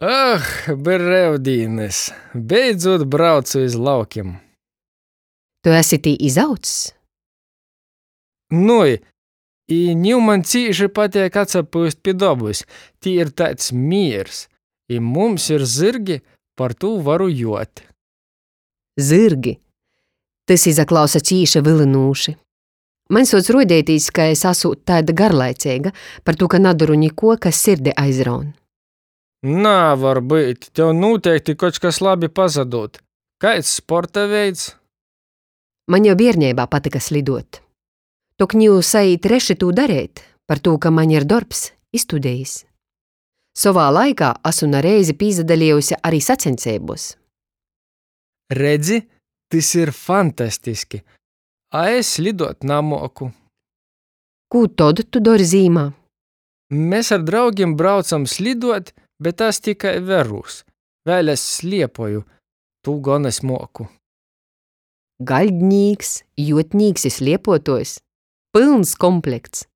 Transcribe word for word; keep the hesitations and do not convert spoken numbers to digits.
Ah, breivdīnys! Beidzūt braucu iz laukim! Tu esi tī izaudzs? Nui, i niu maņ cīši pateik atsapyust pi dobys, tī ir taids mīrs. I mums ir zyrgi, partū varu juot. Zyrgi! Tys izaklausa cīši vylynūši. Maņ suoc ruodeitīs, ka es asūt taida garlaiceiga, partū ka nadoru nikuo, kas sirdi aizraun. Navar byut, tev nūteikti koč kas labi pasadūd. Kaids sporta veids? Maņ jau bierneibā patyka sliduot. Tok niu saīt reši tū dareit, partū ka maņ ir dorbs i studejis. Sovā laikā asu na reizi pīsadalejuse ari saceņseibuos. Redzi, tys ir fantastiski! A es sliduot namuoku. Kū tod tu dori zīmā? Mes ar draugim braucam sliduot, bet es tikai verūs. Vēļ es sliepoju, tū gon es muoku. Gaļdnīks, juotnīks i sliepuotuojs. Pylns komplekts!